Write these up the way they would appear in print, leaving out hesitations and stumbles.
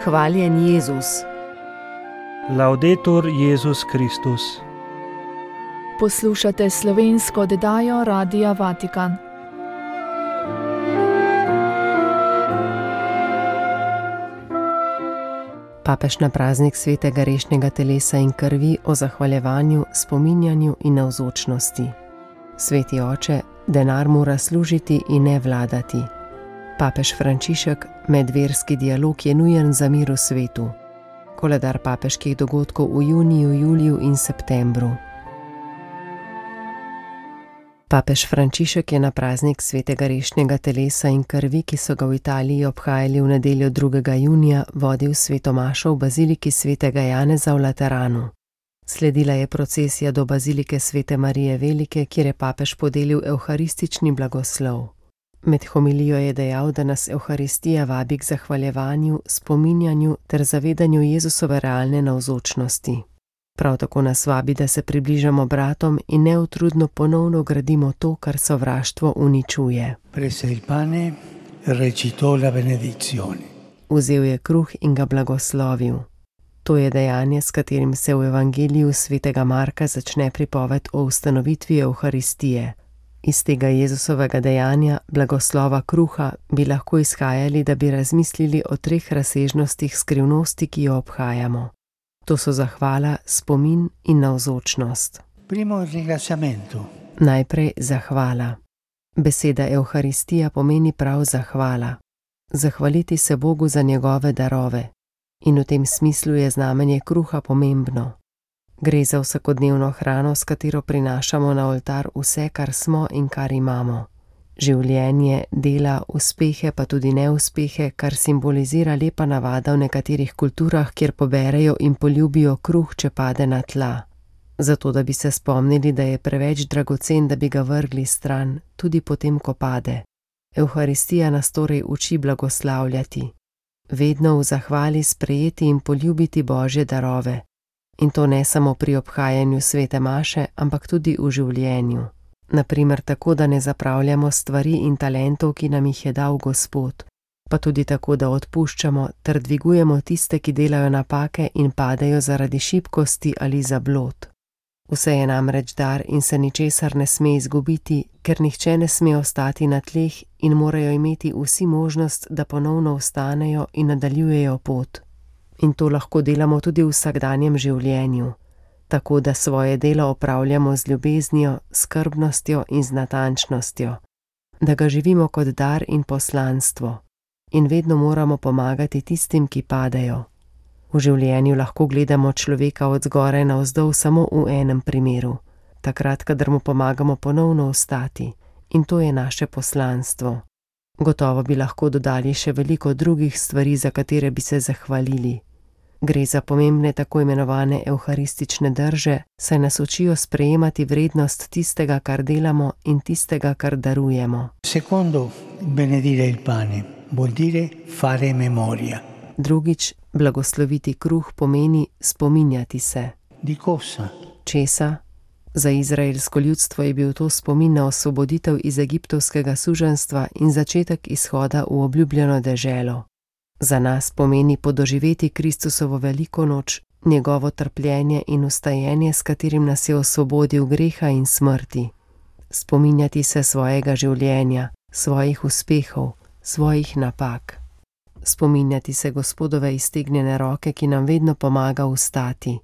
Hvaljen Jezus. Laudetur Jezus Kristus. Poslušate slovensko oddajo Radia Vatikan. Papež na praznik svetega rešnjega telesa in krvi o zahvaljevanju, spominjanju in navzočnosti. Sveti oče, denar mora služiti in ne vladati. Papež Frančišek, medverski dialog je nujen za mir v svetu. Koledar papeških dogodkov v juniju, juliju in septembru. Papež Frančišek je na praznik svetega rešnjega telesa in krvi, ki so ga v Italiji obhajali v nedeljo 2. junija, vodil sveto mašo v baziliki svetega Janeza v Lateranu. Sledila je procesija do bazilike svete Marije Velike, kjer je papež podelil evharistični blagoslov. Med homilijo je dejal, da nas Evharistija vabi k zahvaljevanju, spominjanju ter zavedanju Jezusove realne navzočnosti. Prav tako nas vabi, da se približamo bratom in neutrudno ponovno gradimo to, kar sovraštvo uničuje. Prese il pane, recitò la benedizione. Vzel je kruh in ga blagoslovil. To je dejanje, s katerim se v Evangeliju svetega Marka začne pripoved o ustanovitvi Evharistije. Iz tega Jezusovega dejanja, blagoslova kruha, bi lahko izhajali, da bi razmislili o 3 razsežnostih skrivnosti, ki jo obhajamo. To so zahvala, spomin in navzočnost. Primo ringraziamento. Najprej zahvala. Beseda Evharistija pomeni prav zahvala. Zahvaliti se Bogu za njegove darove. In v tem smislu je znamenje kruha pomembno. Gre za vsakodnevno hrano, s katero prinašamo na oltar vse, kar smo in kar imamo. Življenje, dela, uspehe pa tudi neuspehe, kar simbolizira lepa navada v nekaterih kulturah, kjer poberejo in poljubijo kruh, če pade na tla. Zato, da bi se spomnili, da je preveč dragocen, da bi ga vrgli stran, tudi potem, ko pade. Evharistija nas torej uči blagoslavljati. Vedno v zahvali sprejeti in poljubiti Božje darove. In to ne samo pri obhajanju svete maše, ampak tudi v življenju. Naprimer tako, da ne zapravljamo stvari in talentov, ki nam jih je dal Gospod, pa tudi tako, da odpuščamo ter dvigujemo tiste, ki delajo napake in padejo zaradi šibkosti ali zablod. Vse je namreč dar in se ničesar ne sme izgubiti, ker nihče ne sme ostati na tleh in morajo imeti vsi možnost, da ponovno vstanejo in nadaljujejo pot. In to lahko delamo tudi v vsakdanjem življenju. Tako da svoje delo opravljamo z ljubeznijo, skrbnostjo in z natančnostjo. Da ga živimo kot dar in poslanstvo. In vedno moramo pomagati tistim, ki padejo. V življenju lahko gledamo človeka od zgoraj navzdol samo v enem primeru. Takrat, kadar mu pomagamo ponovno vstati. In to je naše poslanstvo. Gotovo bi lahko dodali še veliko drugih stvari, za katere bi se zahvalili. Gre za pomembne tako imenovane evharistične drže, saj nas učijo sprejemati vrednost tistega, kar delamo in tistega, kar darujemo. Secondo, benedire il pane, vuol dire fare memoria. Drugič, blagosloviti kruh pomeni spominjati se. Di cosa? Česa? Za izraelsko ljudstvo je bil to spomin na osvoboditev iz egiptovskega suženjstva in začetek izhoda v obljubljeno deželo. Za nas pomeni podoživeti Kristusovo veliko noč, njegovo trpljenje in vstajenje, s katerim nas je osvobodil greha in smrti. Spominjati se svojega življenja, svojih uspehov, svojih napak. Spominjati se Gospodove iztegnjene roke, ki nam vedno pomaga vstati.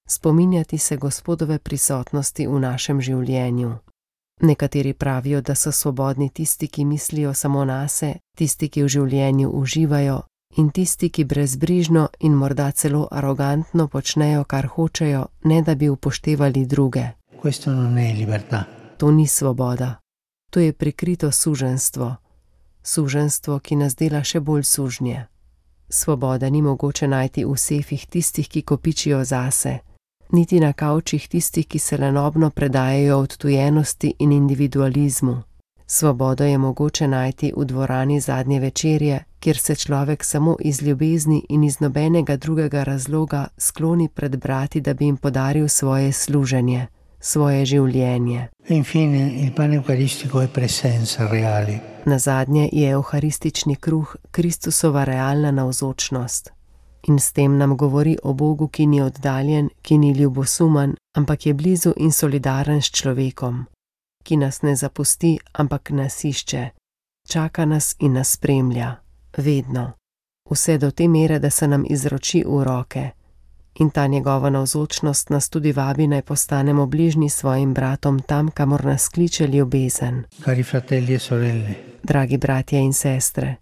Spominjati se Gospodove prisotnosti v našem življenju. Nekateri pravijo, da so svobodni tisti, ki mislijo samo nase, tisti, ki v življenju uživajo, in tisti, ki brezbrižno in morda celo arogantno počnejo, kar hočejo, ne da bi upoštevali druge. Questo non è libertà. To ni svoboda. To je prikrito suženjstvo. Suženjstvo, ki nas dela še bolj sužnje. Svoboda ni mogoče najti v sefih tistih, ki kopičijo zase, niti na kavčih tistih, ki se lenobno predajajo odtujenosti in individualizmu. Svobodo je mogoče najti v dvorani zadnje večerje, kjer se človek samo iz ljubezni in iz nobenega drugega razloga skloni pred brati, da bi jim podaril svoje služenje, svoje življenje. Infine, il pane eucaristico è presenza reale. Nazadnje je evharistični kruh Kristusova realna navzočnost. In s tem nam govori o Bogu, ki ni oddaljen, ki ni ljubosumen, ampak je blizu in solidaren s človekom, ki nas ne zapusti, ampak nas išče, čaka nas in nas spremlja, vedno. Vse do te mere, da se nam izroči v roke. In ta njegova navzočnost nas tudi vabi, naj postanemo bližnji svojim bratom tam, kamor nas kliče ljubezen. Cari fratelli e sorelle, Dragi bratje in sestre,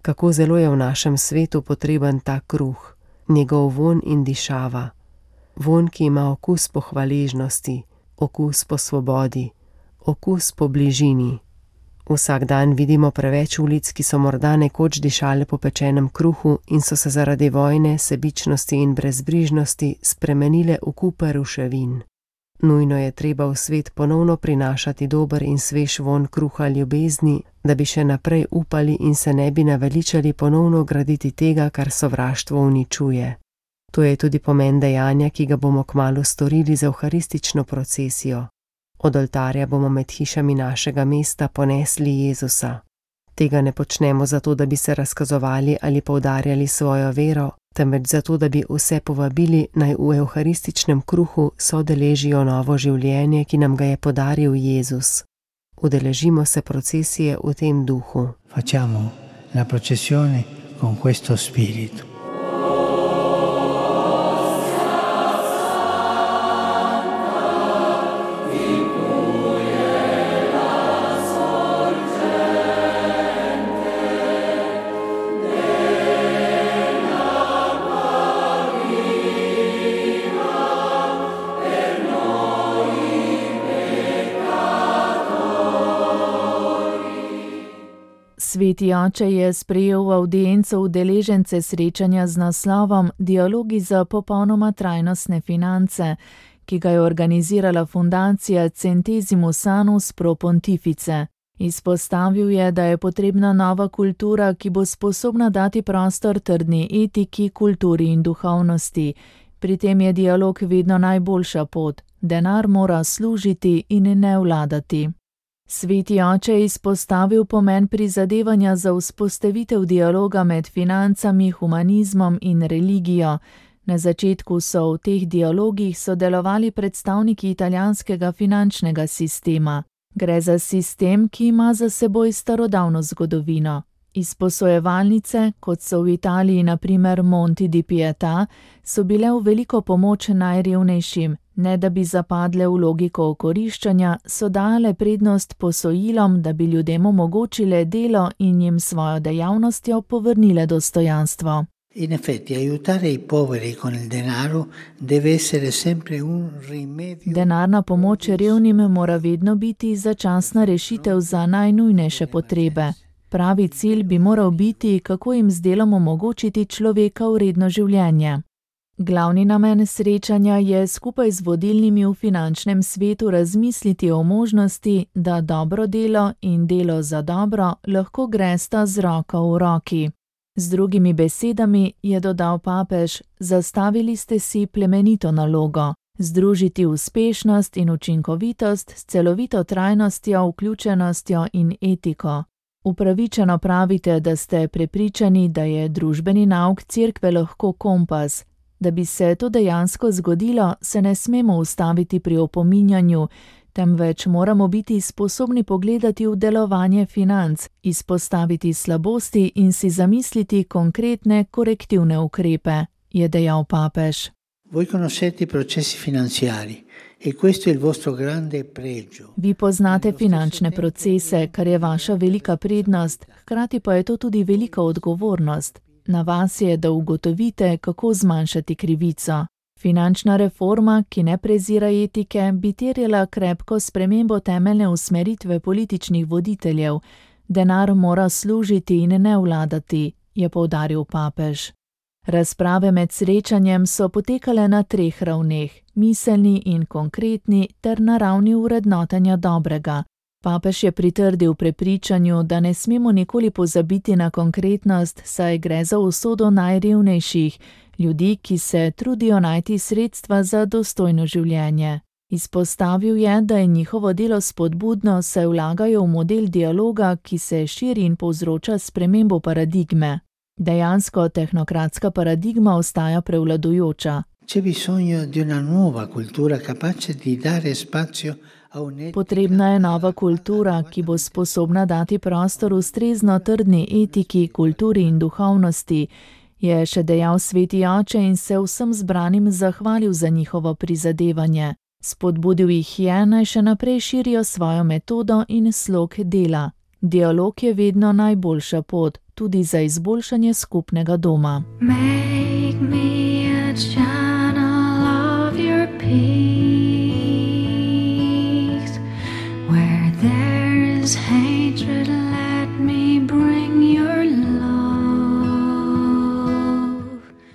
kako zelo je v našem svetu potreben ta kruh, njegov vonj in dišava. Vonj, ki ima okus po hvaležnosti, okus po svobodi, okus po bližini. Vsak dan vidimo preveč ulic, ki so morda nekoč dišale po pečenem kruhu in so se zaradi vojne, sebičnosti in brezbrižnosti spremenile v kupe ruševin. Nujno je treba v svet ponovno prinašati dober in svež vonj kruha ljubezni, da bi še naprej upali in se ne bi naveličali ponovno graditi tega, kar sovraštvo uničuje. To je tudi pomen dejanja, ki ga bomo kmalu storili z evharistično procesijo. Od oltarja bomo med hišami našega mesta ponesli Jezusa. Tega ne počnemo zato, da bi se razkazovali ali poudarjali svojo vero, temveč zato, da bi vse povabili, naj v evharističnem kruhu sodeležijo novo življenje, ki nam ga je podaril Jezus. Udeležimo se procesije v tem duhu. facciamo la processione con questo spirito. Sveti oče je sprejel v avdienco udeležence srečanja z naslovom Dialogi za popolnoma trajnostne finance, ki ga je organizirala fundacija Centesimus Annus Pro Pontifice. Izpostavil je, da je potrebna nova kultura, ki bo sposobna dati prostor trdni etiki, kulturi in duhovnosti. Pri tem je dialog vedno najboljša pot. Denar mora služiti in ne vladati. Sveti oče je izpostavil pomen prizadevanja za vzpostavitev dialoga med financami, humanizmom in religijo. Na začetku so v teh dialogih sodelovali predstavniki italijanskega finančnega sistema. Gre za sistem, ki ima za seboj starodavno zgodovino. Izposojevalnice, kot so v Italiji na primer Monti di Pietà, so bile v veliko pomoč najrevnejšim. Ne da bi zapadle v logiko okoriščanja, so dale prednost posojilom, da bi ljudem omogočile delo in jim svojo dejavnostjo povrnile dostojanstvo. In effetti, aiutare i poveri con il denaro deve essere sempre un rimedio. Denarna pomoč revnim mora vedno biti začasna rešitev za najnujnejše potrebe. Pravi cilj bi moral biti, kako jim z delom omogočiti človeka vredno življenje. Glavni namen srečanja je skupaj z vodilnimi v finančnem svetu razmisliti o možnosti, da dobro delo in delo za dobro lahko gresta z roko v roki. Z drugimi besedami, je dodal papež, zastavili ste si plemenito nalogo: združiti uspešnost in učinkovitost s celovito trajnostjo, vključenostjo in etiko. Upravičeno pravite, da ste prepričani, da je družbeni nauk cerkve lahko kompas. Da bi se to dejansko zgodilo, se ne smemo ustaviti pri opominjanju, temveč moramo biti sposobni pogledati v delovanje financ, izpostaviti slabosti in si zamisliti konkretne korektivne ukrepe, je dejal papež. Voi conoscete i processi finanziari e questo è il vostro grande pregio. Vi poznate finančne procese, kar je vaša velika prednost, hkrati pa je to tudi velika odgovornost. Na vas je, da ugotovite, kako zmanjšati krivico. Finančna reforma, ki ne prezira etike, bi terjala krepko spremembo temeljne usmeritve političnih voditeljev. Denar mora služiti in ne vladati, je poudaril papež. Razprave med srečanjem so potekale na 3 ravneh, miselni in konkretni ter na ravni vrednotenja dobrega. Papež je pritrdil prepričanju, da ne smemo nikoli pozabiti na konkretnost, saj gre za usodo najrevnejših, ljudi, ki se trudijo najti sredstva za dostojno življenje. Izpostavil je, da je njihovo delo spodbudno, saj vlagajo v model dialoga, ki se širi in povzroča spremembo paradigme. Dejansko tehnokratska paradigma ostaja prevladujoča. C'è bisogno di una nuova cultura capace di dare spazio a un'etica. Potrebna je nova kultura, ki bo sposobna dati prostor ustrezno trdni etiki, kulturi in duhovnosti, je še dejal sveti oče in se vsem zbranim zahvalil za njihovo prizadevanje. Spodbudil jih je, naj še naprej širijo svojo metodo in slog dela. Dialog je vedno najboljša pot, tudi za izboljšanje skupnega doma. Make me a channel of your peace. Where there is hatred, let me bring your love.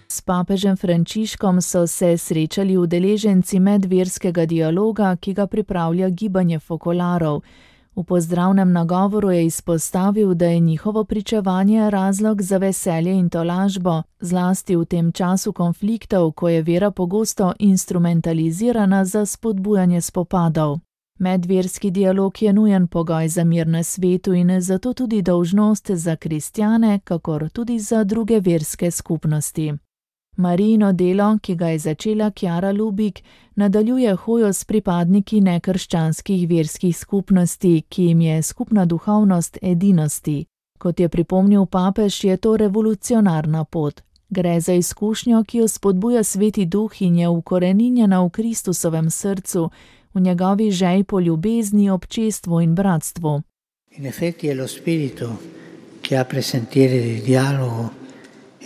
S papežem Frančiškom so se srečali udeleženci medverskega dialoga, ki ga pripravlja gibanje fokolarov. V pozdravnem nagovoru je izpostavil, da je njihovo pričevanje razlog za veselje in tolažbo, zlasti v tem času konfliktov, ko je vera pogosto instrumentalizirana za spodbujanje spopadov. Medverski dialog je nujen pogoj za mir na svetu in zato tudi dolžnost za kristjane, kakor tudi za druge verske skupnosti. Marijino delo, ki ga je začela Chiara Lubich, nadaljuje hojo s pripadniki nekrščanskih verskih skupnosti, ki jim je skupna duhovnost edinosti. Kot je pripomnil papež, je to revolucionarna pot. Gre za izkušnjo, ki jo spodbuja Sveti Duh in je ukoreninjena v Kristusovem srcu, v njegovi želji po ljubezni, občestvu in bratstvu. In effetti è lo spirito che apre sentieri di dialogo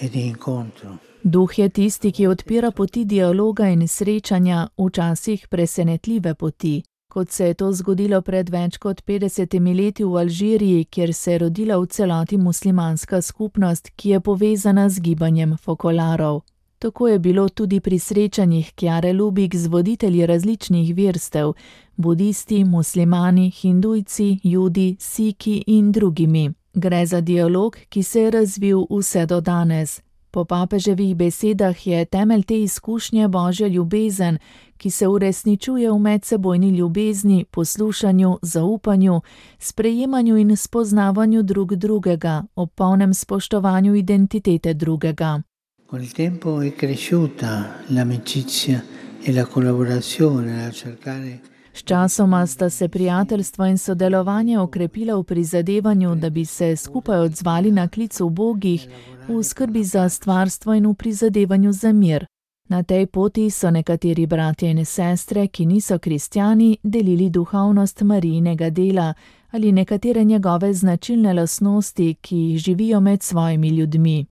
e di incontro. Duh je tisti, ki odpira poti dialoga in srečanja, včasih presenetljive poti, kot se je to zgodilo pred več kot 50 leti v Alžiriji, kjer se je rodila v celoti muslimanska skupnost, ki je povezana z gibanjem fokolarov. Tako je bilo tudi pri srečanjih Chiare Lubich z voditelji različnih verstev, budisti, muslimani, hindujci, judi, siki in drugimi. Gre za dialog, ki se je razvil vse do danes. Po papeževih besedah je temelj te izkušnje božja ljubezen, ki se uresničuje v medsebojni ljubezni, poslušanju, zaupanju, sprejemanju in spoznavanju drug drugega, ob polnem spoštovanju identitete drugega. Con il tempo è cresciuta l'amicizia e la collaborazione a cercare. Sčasoma sta se prijateljstvo in sodelovanje okrepila v prizadevanju, da bi se skupaj odzvali na klic ubogih, v skrbi za stvarstvo in v prizadevanju za mir. Na tej poti so nekateri bratje in sestre, ki niso kristjani, delili duhovnost Marijinega dela ali nekatere njegove značilne lastnosti, ki jih živijo med svojimi ljudmi.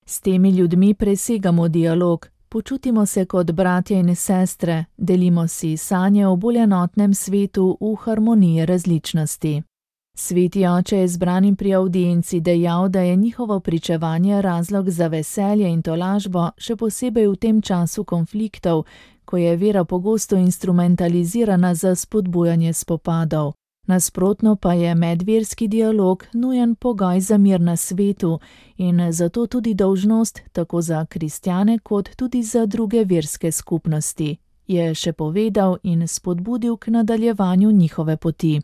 S temi ljudmi presegamo dialog, počutimo se kot bratje in sestre, delimo si sanje o bolj enotnem svetu v harmoniji različnosti. Sveti oče je zbranim pri avdienci dejal, da je njihovo pričevanje razlog za veselje in tolažbo, še posebej v tem času konfliktov, ko je vera pogosto instrumentalizirana za spodbujanje spopadov. Nasprotno pa je medverski dialog nujen pogoj za mir na svetu in zato tudi dolžnost tako za kristjane kot tudi za druge verske skupnosti, je še povedal in spodbudil k nadaljevanju njihove poti.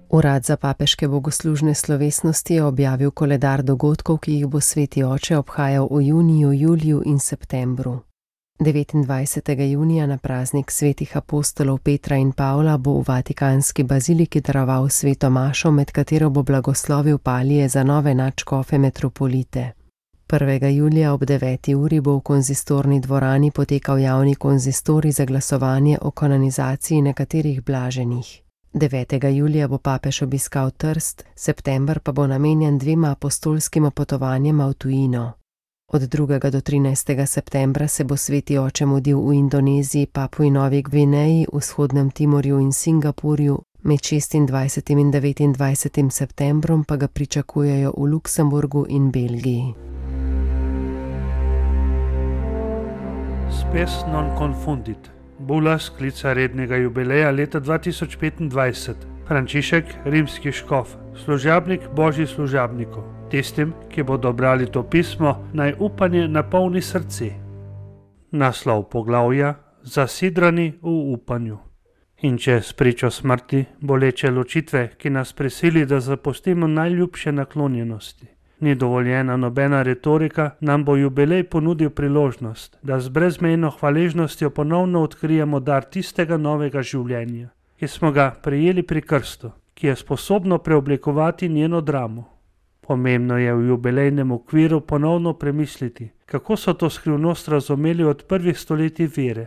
Urad za papeške bogoslužne slovesnosti je objavil koledar dogodkov, ki jih bo sveti oče obhajal v juniju, juliju in septembru. 29. junija na praznik svetih apostolov Petra in Pavla bo v Vatikanski baziliki daroval sveto mašo, med katero bo blagoslovil palije za nove nadškofe metropolite. 1. julija ob 9. uri bo v konzistorni dvorani potekal javni konzistorij za glasovanje o kanonizaciji nekaterih blaženih. 9. julija bo papež obiskal Trst, september pa bo namenjen 2 apostolskima potovanjema v tujino. Od 2. do 13. septembra se bo sveti oče mudil v Indoneziji, Papui Novi Gvineji, vzhodnem Timorju in Singapurju, med 26. in 29. septembrom pa ga pričakujejo v Luksemburgu in Belgiji. Spes non confundit. Bula sklica rednega jubileja leta 2025. Frančišek, rimski škof, služabnik božjih služabnikov. Tistim, ki bodo brali to pismo, naj upanje napolni srce. Naslov poglavja: Zasidrani v upanju. In če spričo smrti, boleče ločitve, ki nas prisili, da zapustimo najljubše naklonjenosti, ni dovoljena nobena retorika, nam bo jubilej ponudil priložnost, da z brezmejno hvaležnostjo ponovno odkrijemo dar tistega novega življenja, ki smo ga prejeli pri krstu, ki je sposobno preoblikovati njeno dramo. Pomembno je v jubilejnem okviru ponovno premisliti, kako so to skrivnost razumeli od prvih stoletij vere.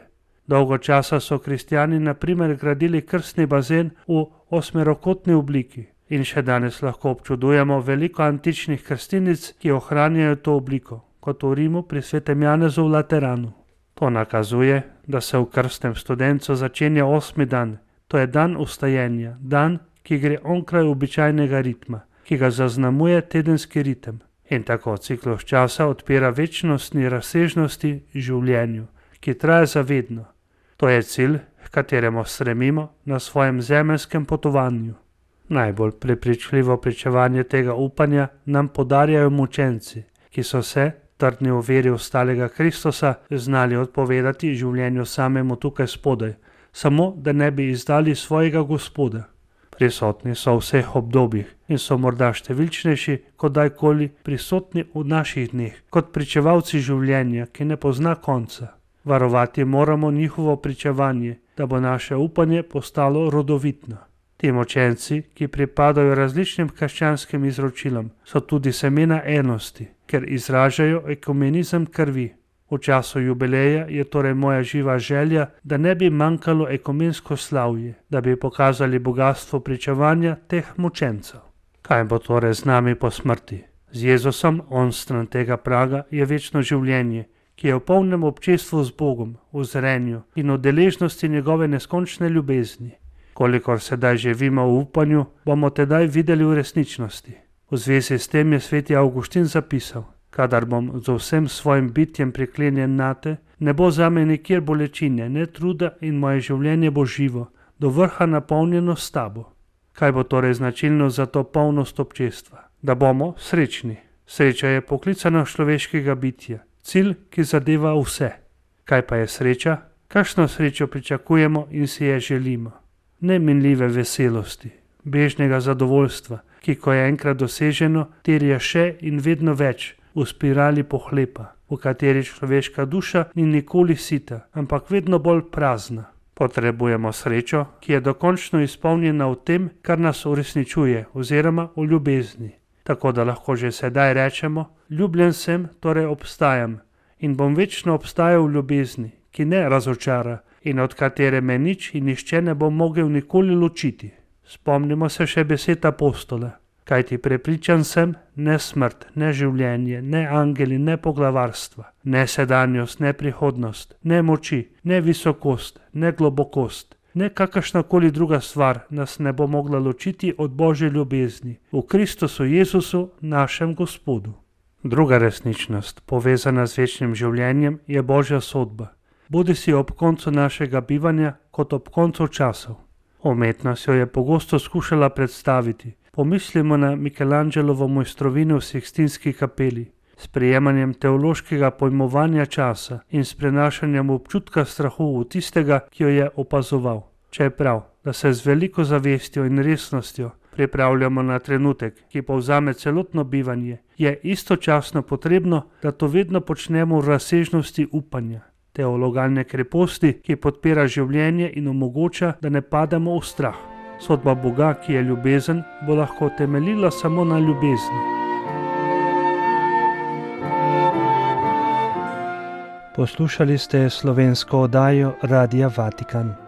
Dolgo časa so kristjani na primer gradili krstni bazen v osmerokotni obliki in še danes lahko občudujemo veliko antičnih krstinic, ki ohranjajo to obliko, kot v Rimu pri svetem Janezu v Lateranu. To nakazuje, da se v krstnem studencu začenja 8. dan, to je dan vstajenja, dan, ki gre onkraj običajnega ritma, ki ga zaznamuje tedenski ritem in tako ciklus časa odpira večnostni razsežnosti življenju, ki traja zavedno. To je cilj, h kateremu stremimo na svojem zemeljskem potovanju. Najbolj prepričljivo pričevanje tega upanja nam podarjajo mučenci, ki so se, trdni v veri ostalega Kristusa, znali odpovedati življenju samemu tukaj spodaj, samo da ne bi izdali svojega Gospoda. Prisotni so v vseh obdobjih in so morda številčnejši kot dajkoli prisotni v naših dneh, kot pričevalci življenja, ki ne pozna konca. Varovati moramo njihovo pričevanje, da bo naše upanje postalo rodovitno. Ti mučenci, ki pripadajo različnim krščanskim izročilom, so tudi semena enosti, ker izražajo ekumenizem krvi. V času jubileja je torej moja živa želja, da ne bi manjkalo ekumensko slavje, da bi pokazali bogatstvo pričevanja teh mučencev. Kaj bo torej z nami po smrti? Z Jezusom onstran tega praga je večno življenje, ki je v polnem občestvu z Bogom, v zrenju in v deležnosti njegove neskončne ljubezni. Kolikor sedaj živimo v upanju, bomo tedaj videli v resničnosti. V zvezi s tem je sveti Avguštin zapisal: kadar bom z vsem svojim bitjem priklenjen nate, ne bo zame nikjer bolečine, ne truda in moje življenje bo živo, do vrha napolnjeno s tabo. Kaj bo torej značilno za to polnost občestva? Da bomo srečni. Sreča je poklicana človeškega bitja, cilj, ki zadeva vse. Kaj pa je sreča? Kakšno srečo pričakujemo in si je želimo? Neminljive veselosti, bežnega zadovoljstva, ki ko je enkrat doseženo, terja še in vedno več, v spirali pohlepa, v kateri človeška duša ni nikoli sita, ampak vedno bolj prazna. Potrebujemo srečo, ki je dokončno izpolnjena v tem, kar nas uresničuje, oziroma v ljubezni. Tako da lahko že sedaj rečemo: ljubljen sem, torej obstajam in bom večno obstajal v ljubezni, ki ne razočara in od katere me nič in nihče ne bo mogel nikoli ločiti. Spomnimo se še besed apostola: kajti prepričan sem, ne smrt, ne življenje, ne angeli, ne poglavarstva, ne sedanjost, ne prihodnost, ne moči, ne visokost, ne globokost, ne kakršnakoli druga stvar nas ne bo mogla ločiti od Božje ljubezni v Kristusu Jezusu, našem Gospodu. Druga resničnost, povezana z večnim življenjem, je Božja sodba, bodisi ob koncu našega bivanja kot ob koncu časov. Umetnost jo je pogosto skušala predstaviti. Pomislimo na Michelangelovo mojstrovino v Sikstinski kapeli, s prejemanjem teološkega pojmovanja časa in s prenašanjem občutka strahu v tistega, ki jo je opazoval. Če je prav, da se z veliko zavestjo in resnostjo pripravljamo na trenutek, ki povzame celotno bivanje, je istočasno potrebno, da to vedno počnemo v razsežnosti upanja, teologalne kreposti, ki podpira življenje in omogoča, da ne pademo v strah. Sodba Boga, ki je ljubezen, bo lahko temeljila samo na ljubezni. Poslušali ste slovensko oddajo Radia Vatikan.